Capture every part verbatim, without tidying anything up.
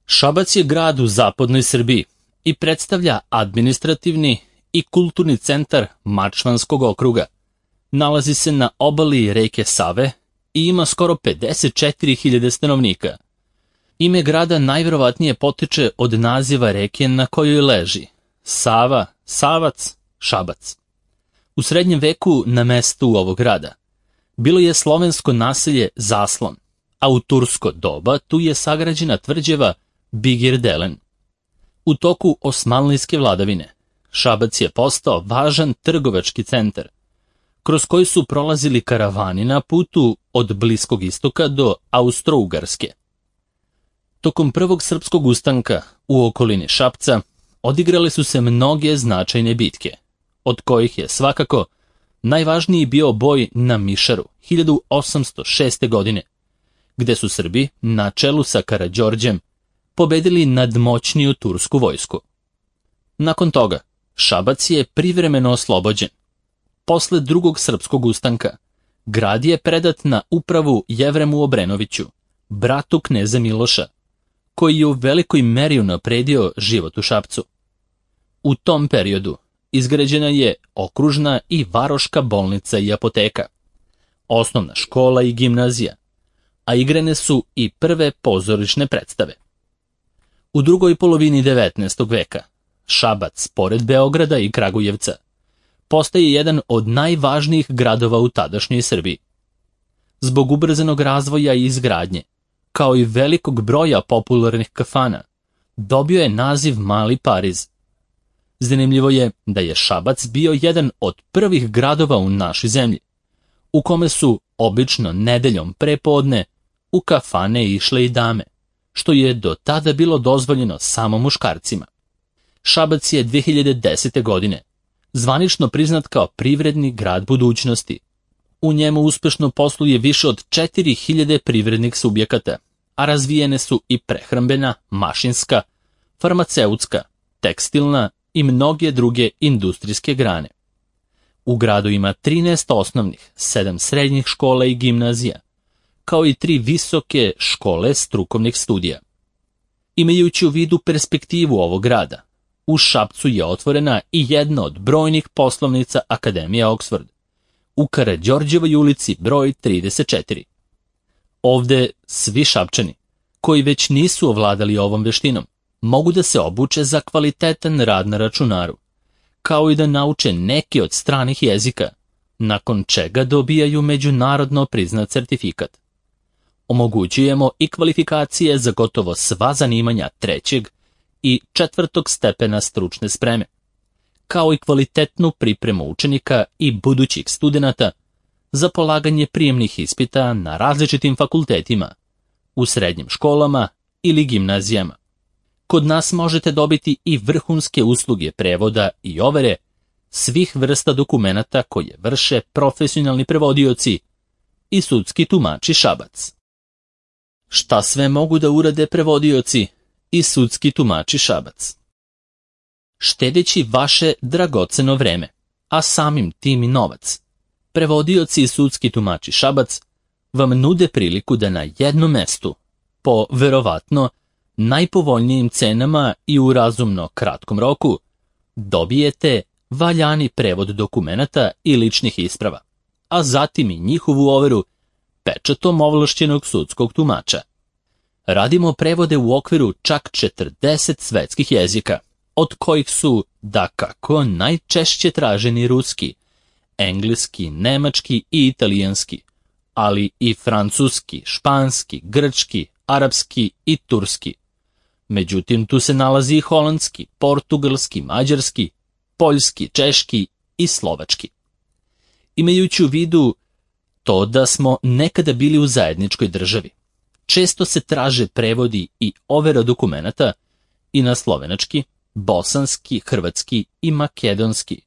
Šabac je grad u zapadnoj Srbiji i predstavlja administrativni i kulturni centar Mačvanskog okruga. Nalazi se na obali reke Save i ima skoro pedeset četiri hiljade stanovnika. Ime grada najverovatnije potiče od naziva reke na kojoj leži – Sava, Savac, Šabac. U srednjem veku na mestu ovog grada bilo je slovensko naselje Zaslon, a u tursko doba tu je sagrađena tvrđava Bigirdelen. U toku osmanlijske vladavine Šabac je postao važan trgovački centar, kroz koji su prolazili karavani na putu od Bliskog istoka do Austro-Ugarske. Tokom prvog srpskog ustanka u okolini Šapca odigrale su se mnoge značajne bitke, od kojih je svakako najvažniji bio boj na Mišaru hiljadu osamsto šeste. godine, gde su Srbi na čelu sa Karađorđem pobedili nadmoćniju tursku vojsku. Nakon toga Šabac je privremeno oslobođen. Posle drugog srpskog ustanka grad je predat na upravu Jevremu Obrenoviću, bratu kneza Miloša, koji je u velikoj meri unapredio život u Šapcu. U tom periodu izgrađena je okružna i varoška bolnica i apoteka, osnovna škola i gimnazija, a igrane su i prve pozorišne predstave. U drugoj polovini devetnaestog veka Šabac, pored Beograda i Kragujevca, postaje jedan od najvažnijih gradova u tadašnjoj Srbiji. Zbog ubrzanog razvoja i izgradnje, kao i velikog broja popularnih kafana, dobio je naziv Mali Pariz. Zanimljivo je da je Šabac bio jedan od prvih gradova u našoj zemlji, u kome su obično nedeljom prepodne u kafane išle i dame, što je do tada bilo dozvoljeno samo muškarcima. Šabac je dve hiljade desete. godine zvanično priznat kao privredni grad budućnosti. U njemu uspešno posluje više od četiri hiljade privrednih subjekata, a razvijene su i prehrambena, mašinska, farmaceutska, tekstilna i mnoge druge industrijske grane. U gradu ima trinaest osnovnih, sedam srednjih škola i gimnazija, kao i tri visoke škole strukovnih studija. Imajući u vidu perspektivu ovog grada, u Šapcu je otvorena i jedna od brojnih poslovnica Akademije Oxford, u Karađorđevoj ulici broj trideset četiri. Ovde svi Šapčani, koji već nisu ovladali ovom veštinom, mogu da se obuče za kvalitetan rad na računaru, kao i da nauče neki od stranih jezika, nakon čega dobijaju međunarodno priznat certifikat. Omogućujemo i kvalifikacije za gotovo sva zanimanja trećeg i četvrtog stepena stručne spreme, kao i kvalitetnu pripremu učenika i budućih studenata za polaganje prijemnih ispita na različitim fakultetima, u srednjim školama ili gimnazijama. Kod nas možete dobiti i vrhunske usluge prevoda i overe svih vrsta dokumenata koje vrše profesionalni prevodioci i sudski tumači Šabac. Šta sve mogu da urade prevodioci i sudski tumači Šabac? Štedeći vaše dragoceno vreme, a samim tim i novac, prevodioci i sudski tumači Šabac vam nude priliku da na jednom mestu, po verovatno najpovoljnijim cenama i u razumno kratkom roku, dobijete valjani prevod dokumenata i ličnih isprava, a zatim i njihovu overu pečatom ovlašćenog sudskog tumača. Radimo prevode u okviru čak četrdeset svetskih jezika, od kojih su, dakako, najčešće traženi ruski, engleski, nemački i italijanski, ali i francuski, španski, grčki, arapski i turski. Međutim, tu se nalazi i holandski, portugalski, mađarski, poljski, češki i slovački. Imajući u vidu to da smo nekada bili u zajedničkoj državi, često se traže prevodi i overa dokumenata i na slovenački, bosanski, hrvatski i makedonski,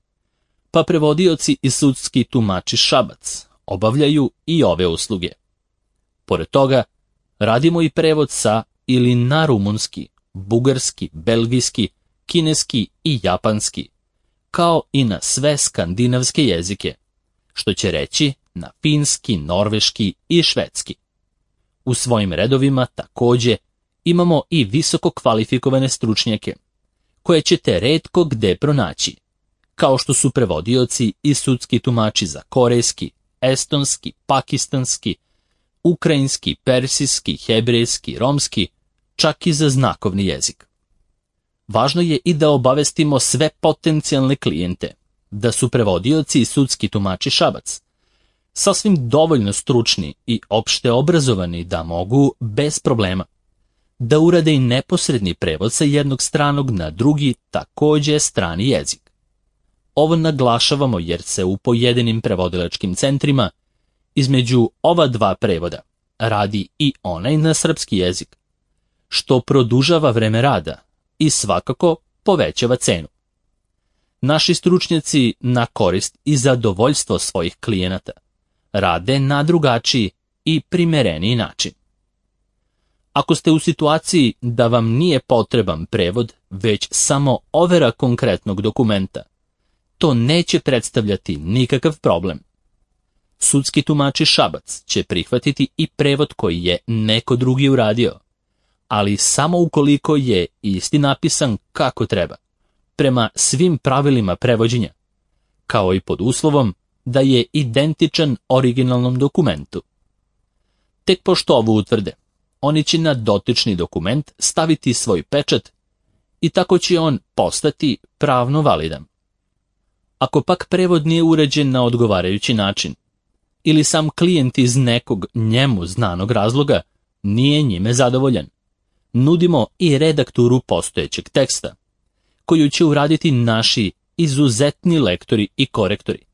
pa prevodioci i sudski tumači Šabac obavljaju i ove usluge. Pored toga, radimo i prevod sa ili na rumunski, bugarski, belgijski, kineski i japanski, kao i na sve skandinavske jezike, što će reći na finski, norveški i švedski. U svojim redovima takođe imamo i visoko kvalifikovane stručnjake, koje ćete retko gde pronaći, kao što su prevodioci i sudski tumači za korejski, estonski, pakistanski, ukrajinski, persijski, hebrejski, romski, čak i za znakovni jezik. Važno je i da obavestimo sve potencijalne klijente da su prevodioci i sudski tumači Šabac sasvim dovoljno stručni i opšte obrazovani da mogu, bez problema, da urade i neposredni prevod sa jednog stranog na drugi, takođe strani jezik. Ovo naglašavamo jer se u pojedinim prevodilačkim centrima između ova dva prevoda radi i onaj na srpski jezik, što produžava vreme rada i svakako povećava cenu. Naši stručnjaci na korist i zadovoljstvo svojih klijenata rade na drugačiji i primereniji način. Ako ste u situaciji da vam nije potreban prevod, već samo overa konkretnog dokumenta, to neće predstavljati nikakav problem. Sudski tumači Šabac će prihvatiti i prevod koji je neko drugi uradio, ali samo ukoliko je isti napisan kako treba, prema svim pravilima prevođenja, kao i pod uslovom da je identičan originalnom dokumentu. Tek pošto ovo utvrde, oni će na dotični dokument staviti svoj pečat i tako će on postati pravno validan. Ako pak prevod nije uređen na odgovarajući način, ili sam klijent iz nekog njemu znanog razloga nije njime zadovoljan, nudimo i redakturu postojećeg teksta, koju će uraditi naši izuzetni lektori i korektori,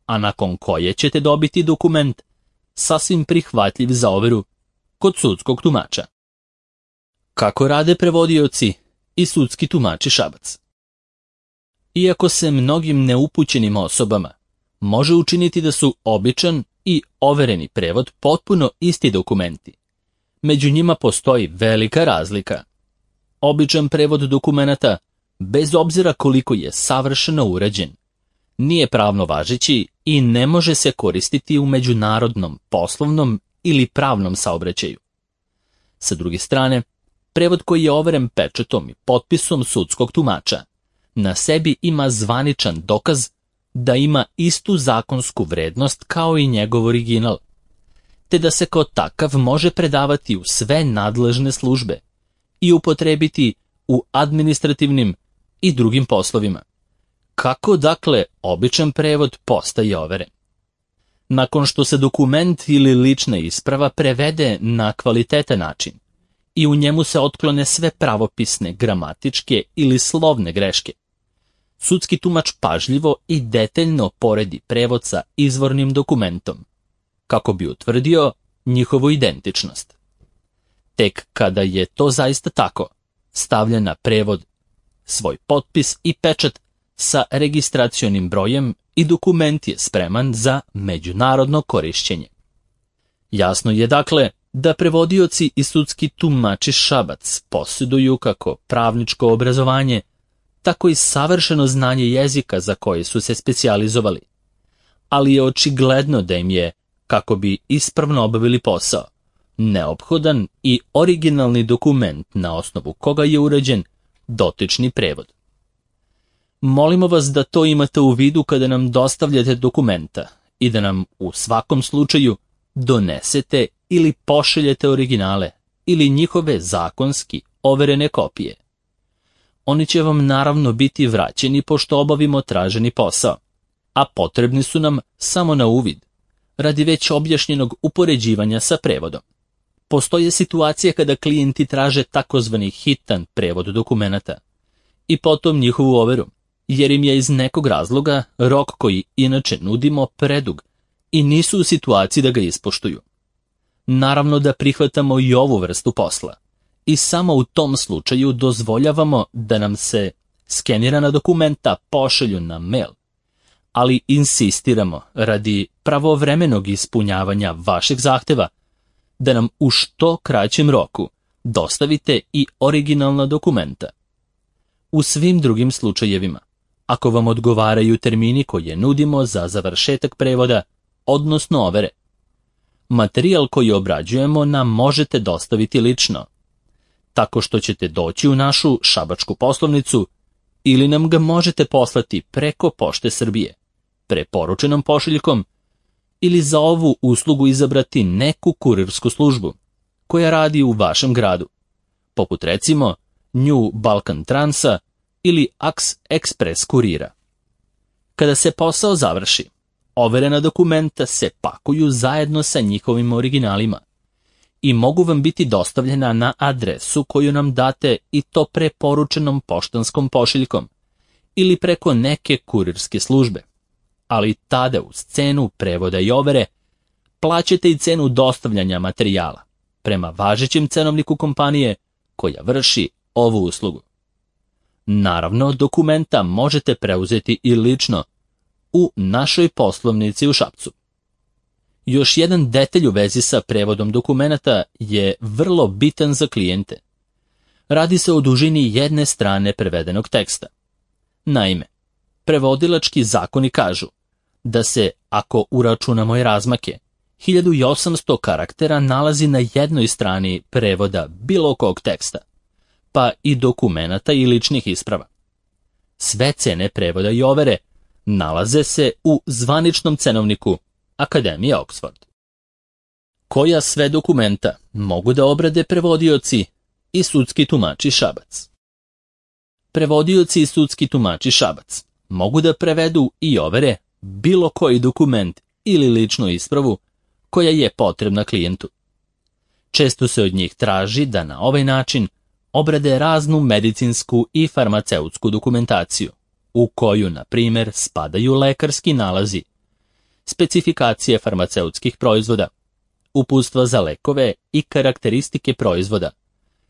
a nakon koje ćete dobiti dokument sasvim prihvatljiv za overu kod sudskog tumača. Kako rade prevodioci i sudski tumači Šabac? Iako se mnogim neupućenim osobama može učiniti da su običan i overeni prevod potpuno isti dokumenti, među njima postoji velika razlika. Običan prevod dokumenata, bez obzira koliko je savršeno urađen, nije pravno važeći i ne može se koristiti u međunarodnom, poslovnom ili pravnom saobraćaju. Sa druge strane, prevod koji je overen pečatom i potpisom sudskog tumača na sebi ima zvaničan dokaz da ima istu zakonsku vrednost kao i njegov original, te da se kao takav može predavati u sve nadležne službe i upotrebiti u administrativnim i drugim poslovima. Kako, dakle, običan prevod postaje overen? Nakon što se dokument ili lična isprava prevede na kvalitetan način i u njemu se otklone sve pravopisne, gramatičke ili slovne greške, sudski tumač pažljivo i detaljno poredi prevod sa izvornim dokumentom, kako bi utvrdio njihovu identičnost. Tek kada je to zaista tako, stavlja na prevod svoj potpis i pečat sa registracionim brojem i dokument je spreman za međunarodno korišćenje. Jasno je dakle da prevodioci i sudski tumači Šabac posjeduju kako pravničko obrazovanje, tako i savršeno znanje jezika za koje su se specijalizovali, ali je očigledno da im je, kako bi ispravno obavili posao, neophodan i originalni dokument na osnovu koga je urađen dotični prevod. Molimo vas da to imate u vidu kada nam dostavljate dokumenta i da nam u svakom slučaju donesete ili pošaljete originale ili njihove zakonski overene kopije. Oni će vam naravno biti vraćeni pošto obavimo traženi posao, a potrebni su nam samo na uvid, radi već objašnjenog upoređivanja sa prevodom. Postoje situacije kada klijenti traže takozvani hitan prevod dokumenata i potom njihovu overu, jer im je iz nekog razloga rok koji inače nudimo predug i nisu u situaciji da ga ispoštuju. Naravno da prihvatamo i ovu vrstu posla i samo u tom slučaju dozvoljavamo da nam se skenirana dokumenta pošalju na mail, ali insistiramo radi pravovremenog ispunjavanja vašeg zahteva da nam u što kraćem roku dostavite i originalna dokumenta. U svim drugim slučajevima, ako vam odgovaraju termini koje nudimo za završetak prevoda, odnosno overe, materijal koji obrađujemo nam možete dostaviti lično. tako što ćete doći u našu šabačku poslovnicu ili nam ga možete poslati preko Pošte Srbije, preporučenom pošiljkom, ili za ovu uslugu izabrati neku kurirsku službu koja radi u vašem gradu, poput recimo New Balkan Transa ili Ax Express kurira. Kada se posao završi, overena dokumenta se pakuju zajedno sa njihovim originalima i mogu vam biti dostavljena na adresu koju nam date, i to preporučenom poštanskom pošiljkom ili preko neke kurirske službe. Ali tada uz cenu prevoda i overe plaćate i cenu dostavljanja materijala prema važećem cenovniku kompanije koja vrši ovu uslugu. Naravno, dokumenta možete preuzeti i lično u našoj poslovnici u Šapcu. Još jedan detalj u vezi sa prevodom dokumenata je vrlo bitan za klijente. Radi se o dužini jedne strane prevedenog teksta. Naime, prevodilački zakoni kažu da se, ako uračunamo i razmake, hiljadu osamsto karaktera nalazi na jednoj strani prevoda bilo kog teksta, pa i dokumenata i ličnih isprava. Sve cene prevoda i overe nalaze se u zvaničnom cenovniku Akademije Oxford. Koja sve dokumenta mogu da obrade prevodioci i sudski tumači Šabac? Prevodioci i sudski tumači Šabac mogu da prevedu i overe bilo koji dokument ili ličnu ispravu koja je potrebna klijentu. Često se od njih traži da na ovaj način obrade raznu medicinsku i farmaceutsku dokumentaciju, u koju, na primjer, spadaju lekarski nalazi, specifikacije farmaceutskih proizvoda, uputstva za lekove i karakteristike proizvoda,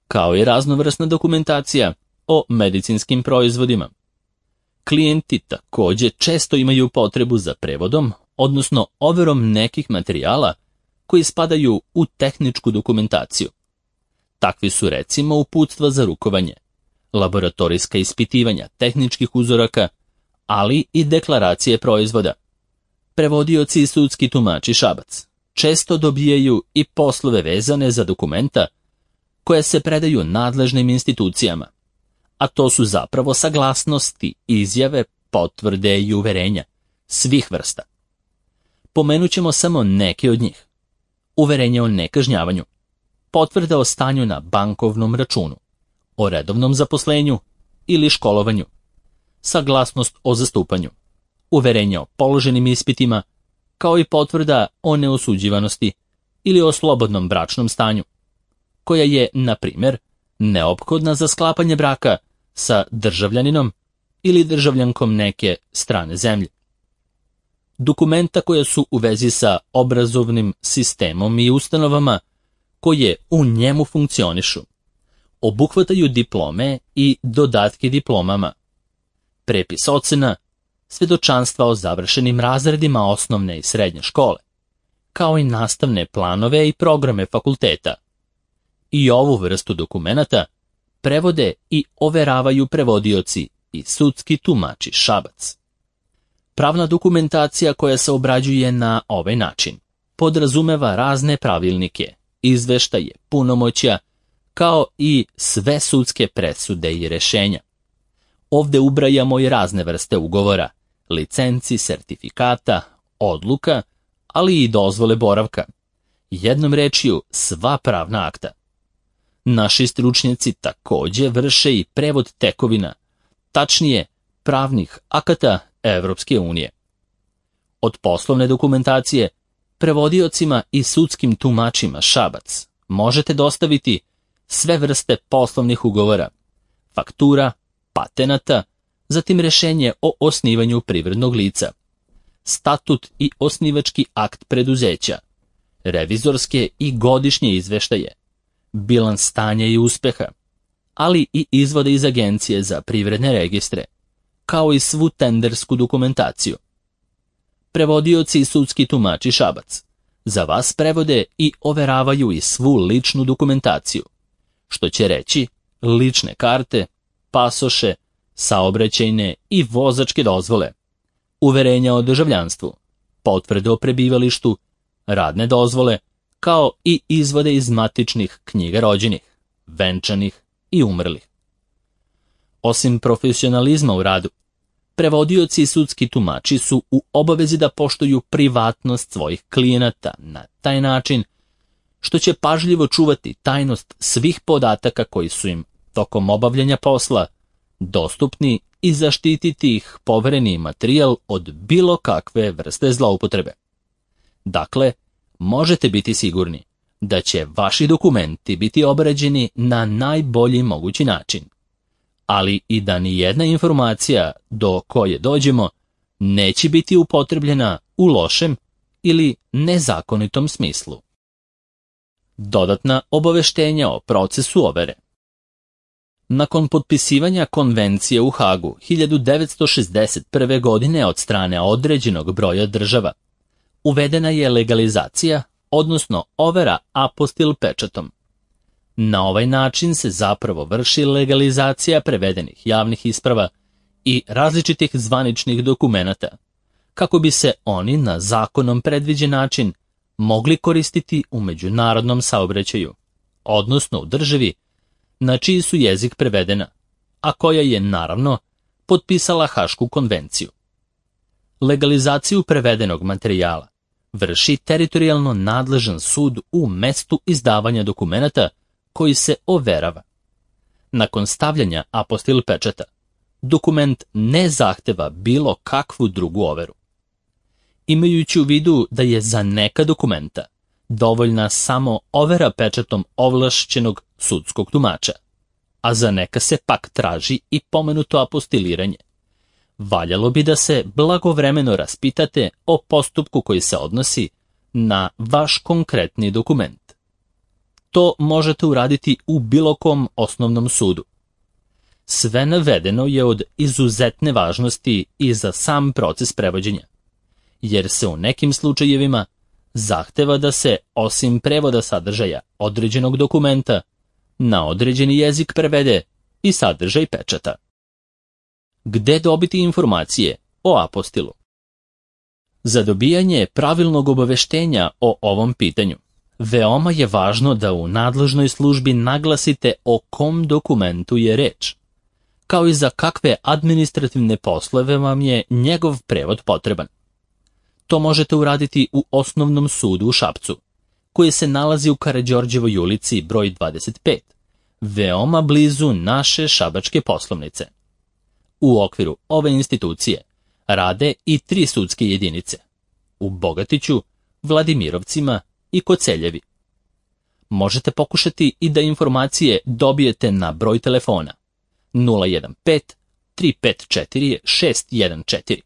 kao i raznovrsna dokumentacija o medicinskim proizvodima. Klijenti također često imaju potrebu za prevodom, odnosno overom nekih materijala koji spadaju u tehničku dokumentaciju. Takvi su recimo uputstva za rukovanje, laboratorijska ispitivanja tehničkih uzoraka, ali i deklaracije proizvoda. Prevodioci i sudski tumači Šabac često dobijaju i poslove vezane za dokumenta koje se predaju nadležnim institucijama, a to su zapravo saglasnosti, izjave, potvrde i uverenja svih vrsta. Pomenut ćemo samo neke od njih. Uverenje o nekažnjavanju, potvrda o stanju na bankovnom računu, o redovnom zaposlenju ili školovanju, saglasnost o zastupanju, uverenje o položenim ispitima, kao i potvrda o neosuđivanosti ili o slobodnom bračnom stanju, koja je, na primjer, neophodna za sklapanje braka sa državljaninom ili državljankom neke strane zemlje. Dokumenta koja su u vezi sa obrazovnim sistemom i ustanovama koje u njemu funkcionišu obuhvataju diplome i dodatke diplomama, prepis ocena, svedočanstva o završenim razredima osnovne i srednje škole, kao i nastavne planove i programe fakulteta. I ovu vrstu dokumenata prevode i overavaju prevodioci i sudski tumači Šabac. Pravna dokumentacija koja se obrađuje na ovaj način podrazumeva razne pravilnike, izveštaje, punomoćja, kao i sve sudske presude i rešenja. Ovde ubrajamo i razne vrste ugovora, licenci, sertifikata, odluka, ali i dozvole boravka. Jednom rečju, sva pravna akta. Naši stručnjaci također vrše i prevod tekovina, tačnije pravnih akata Evropske unije. Od poslovne dokumentacije prevodiocima i sudskim tumačima Šabac možete dostaviti sve vrste poslovnih ugovora, faktura, patenata, zatim rešenje o osnivanju privrednog lica, statut i osnivački akt preduzeća, revizorske i godišnje izveštaje, bilans stanja i uspeha, ali i izvode iz Agencije za privredne registre, kao i svu tendersku dokumentaciju. Prevodioci i sudski tumači Šabac za vas prevode i overavaju i svu ličnu dokumentaciju, što će reći lične karte, pasoše, saobraćajne i vozačke dozvole, uverenja o državljanstvu, potvrde o prebivalištu, radne dozvole, kao i izvode iz matičnih knjiga rođenih, venčanih i umrlih. Osim profesionalizma u radu, prevodioci i sudski tumači su u obavezi da poštuju privatnost svojih klijenata na taj način što će pažljivo čuvati tajnost svih podataka koji su im tokom obavljanja posla dostupni i zaštititi ih povereni materijal od bilo kakve vrste zloupotrebe. Dakle, možete biti sigurni da će vaši dokumenti biti obrađeni na najbolji mogući način, ali i da ni jedna informacija do koje dođemo neće biti upotrebljena u lošem ili nezakonitom smislu. Dodatna obaveštenja o procesu overe. Nakon potpisivanja konvencije u Hagu hiljadu devetsto šezdeset prve. godine od strane određenog broja država, uvedena je legalizacija, odnosno overa apostil pečatom. Na ovaj način se zapravo vrši legalizacija prevedenih javnih isprava i različitih zvaničnih dokumenata, kako bi se oni na zakonom predviđen način mogli koristiti u međunarodnom saobraćaju, odnosno u državi na čiji su jezik prevedena, a koja je, naravno, potpisala Hašku konvenciju. Legalizaciju prevedenog materijala vrši teritorijalno nadležan sud u mestu izdavanja dokumenata koji se overava. Nakon stavljanja apostil pečata, dokument ne zahteva bilo kakvu drugu overu. Imajući u vidu da je za neka dokumenta dovoljna samo overa pečatom ovlašćenog sudskog tumača, a za neka se pak traži i pomenuto apostiliranje, valjalo bi da se blagovremeno raspitate o postupku koji se odnosi na vaš konkretni dokument. To možete uraditi u bilo kom osnovnom sudu. Sve navedeno je od izuzetne važnosti i za sam proces prevođenja, jer se u nekim slučajevima zahteva da se, osim prevoda sadržaja određenog dokumenta, na određeni jezik prevede i sadržaj pečata. Gde dobiti informacije o apostilu? Za dobijanje pravilnog obaveštenja o ovom pitanju, veoma je važno da u nadležnoj službi naglasite o kom dokumentu je reč, kao i za kakve administrativne poslove vam je njegov prevod potreban. To možete uraditi u Osnovnom sudu u Šapcu, koji se nalazi u Karađorđevoj ulici broj dvadeset pet, veoma blizu naše šabačke poslovnice. U okviru ove institucije rade i tri sudske jedinice, u Bogatiću, Vladimirovcima i Koceljevi. Možete pokušati i da informacije dobijete na broj telefona nula jedan pet tri pet četiri šest jedan četiri.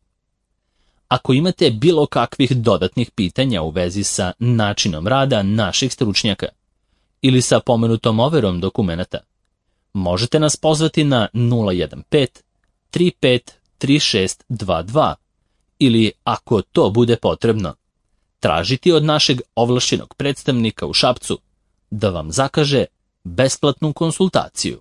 Ako imate bilo kakvih dodatnih pitanja u vezi sa načinom rada naših stručnjaka ili sa pomenutom overom dokumenata, možete nas pozvati na nula jedan pet tri pet tri šest dva dva ili, ako to bude potrebno, tražiti od našeg ovlašćenog predstavnika u Šapcu da vam zakaže besplatnu konsultaciju.